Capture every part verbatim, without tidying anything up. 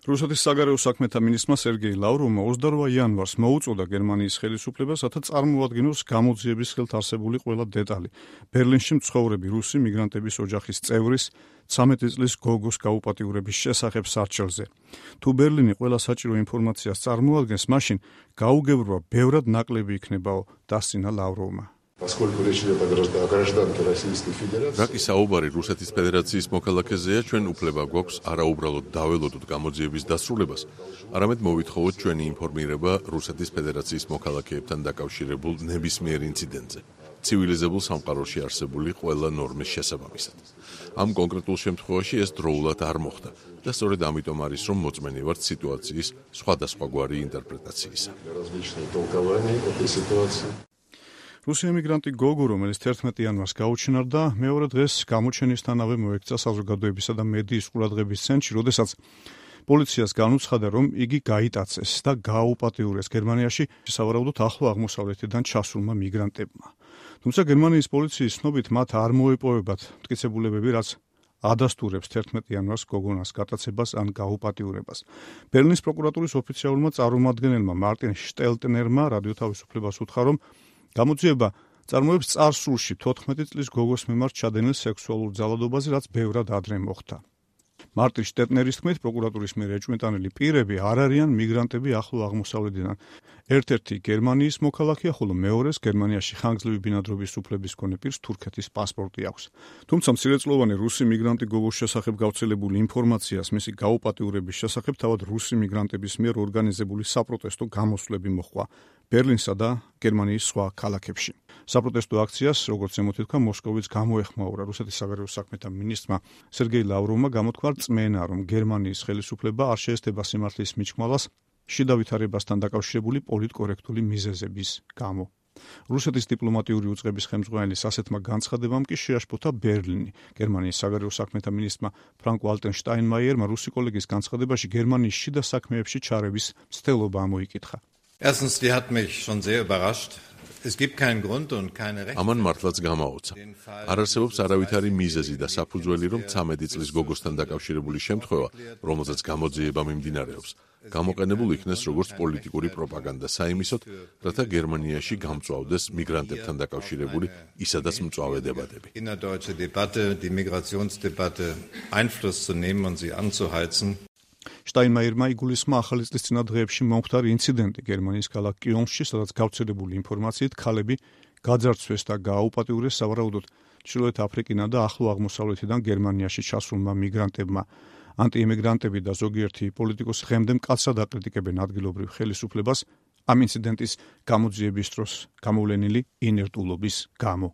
რუსეთის საგარეო საქმეთა მინისტრმა სერგეი ლავროვმა ოცდაორ იანვარს მოუწოდა გერმანიის ხელისუფლებას, რათა წარმოადგინოს გამოძიების ხელთ არსებული ყველა დეტალი. ბერლინში მცხოვრები რუსი მიგრანტების ოჯახის წევრის ცამეტი წლის გოგოს გაუპატიურების შესახებ სარჩელზე. თუ ბერლინი ყველა საჭირო ინფორმაციას წარმოადგენს, მაშინ გაუგებრობა ბევრად ნაკლები იქნებაო, დასცინა ლავროვმა. რაკი საუბარი რუსეთის ფედერაციის მოქალაქეზეა, ჩვენ უფლება გვაქვს არა უბრალოდ დაველოდოთ გამოძიების დასრულებას, არამედ მოვითხოვოთ ჩვენი ინფორმირება რუსეთის ფედერაციის მოქალაქეებთან დაკავშირებულ ნებისმიერ ინციდენტზე, ცივილიზებულ სამყაროში არსებული ყველა ნორმის შესაბამისად. ამ კონკრეტულ შემთხვევაში ეს დროულად არ მოხდა და სწორედ ამიტომ არის, რომ მოწმენი ვართ სიტუაციის სხვადასხვაგვარი ინტერპრეტაციისა. რუსი ემიგრანტი გოგო, რომელიც თერთმეტი იანვარს გაუჩინარდა, მეორე დღეს გამოჩენისთანავე მოექცა საზოგადოებისა და მედიის ყურადღების ცენტრში, როდესაც პოლიციას განუცხადა, რომ იგი გაიტაცეს და გააუპატიურეს გერმანიაში სავარაუდოდ ახლო აღმოსავლეთიდან ჩასულმა მიგრანტებმა. თუმცა გერმანიის პოლიციის ცნობით მათ არ მოეპოვებათ მტკიცებულებები, რაც ადასტურებს თერთმეტი იანვარს გოგონას გატაცებას ან გაუპატიურებას. ბერლინის პროკურატურის ოფიციალურმა წარმომადგენელმა მარტინ შტელტნერმა რადიო თავისუფლებას უთხრა, რომ გამოძიება წარმოებს წარსულში თოთხმეტი წლის გოგოს მიმართ ჩადენილ სექსუალურ ძალადობაზე, რაც ბევრად ადრე მოხდა. მარტინ შტელტნერის თქმით, პროკურატურის მიერ ეჭვმეტანილი პირები არ არიან მიგრანტები ახლო აღმოსავლეთიდან. ერთ-ერთი გერმანიის მოქალაქეა, ხოლო მეორეს გერმანიაში ხანგრძლივი ბინადრობის უფლების მქონე პირს თურქეთის პასპორტი აქვს. თუმცა მცირეწლოვანი რუსი მიგრანტი გოგოს შესახებ გავრცელებული ინფორმაციას მისი გაუპატიურების შესახებ თავად რუსი მიგრანტების მიერ ორგანიზებული საპროტესტო გამოსვლები მოჰყვა ბერლინსა და გერმანიის სხვა ქალაქებში. საპროტესტო აქციას, როგორც ემოთითქვა, მოსკოვიც გამოეხმაურა. რუსეთის საგარეო საქმეთა მინისტრმა სერგეი ლავროვმა გამოთქვა რწმენა, რომ გერმანიის ხელისუფლება არ შეესწება სიმართლის მიჭმალას შიდა ვითარებასთან დაკავშირებული პოლიტკორექტული მიზეზების გამო. რუსეთის დიპლომატიური უწყების ხელმძღვანელის ასეთმა განცხადებამ კი შეაშფოთა ბერლინი. გერმანიის საგარეო საქმეთა მინისტრმა ფრანკ ვალტერ შტაინმაიერმა რუსი კოლეგის განცხადებაში გერმანიის შიდა საქმეებში ჩარევის მცდელობა ამოიკითხა. Erstens, die hat mich schon sehr überrascht. Es gibt keinen Grund und keine Rechte. ამან მართლაც გამაოცა. არ არსებობს არავითარი მიზეზი და საფუძველი, რომ ცამეტი წლის გოგოსთან დაკავშირებული შემთხვევა, რომელზეც გამოძიება მიმდინარეობს, გამოყენებულ იქნეს როგორც პოლიტიკური პროპაგანდა საიმისოდ, რათა გერმანიაში გამწვავდეს მიგრანტებთან დაკავშირებული ისედაც მწვავე დებატები. Innerdeutsche Debatte, die Migrationsdebatte Einfluss zu nehmen und sie anzuheizen. შტაინმაიერმა იგულისხმა ახალი წლის წინა დღეებში მომხდარი ინციდენტი გერმანიის ქალაქ კიონში, სადაც გავრცელებული ინფორმაციით ქალები გაძარცვეს და გააუპატიურეს სავარაუდოდ ჩრდილოეთ აფრიკიდან და ახლო აღმოსავლეთიდან გერმანიაში ჩასულმა მიგრანტებმა. ანტიიმიგრანტები და ზოგიერთი პოლიტიკოსი დღემდე მკაცრად აკრიტიკებენ ადგილობრივ ხელისუფლებას ამ ინციდენტის გამოძიების დროს გამოვლენილი ინერტულობის გამო.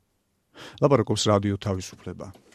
ლაპარაკობს რადიო თავისუფლება.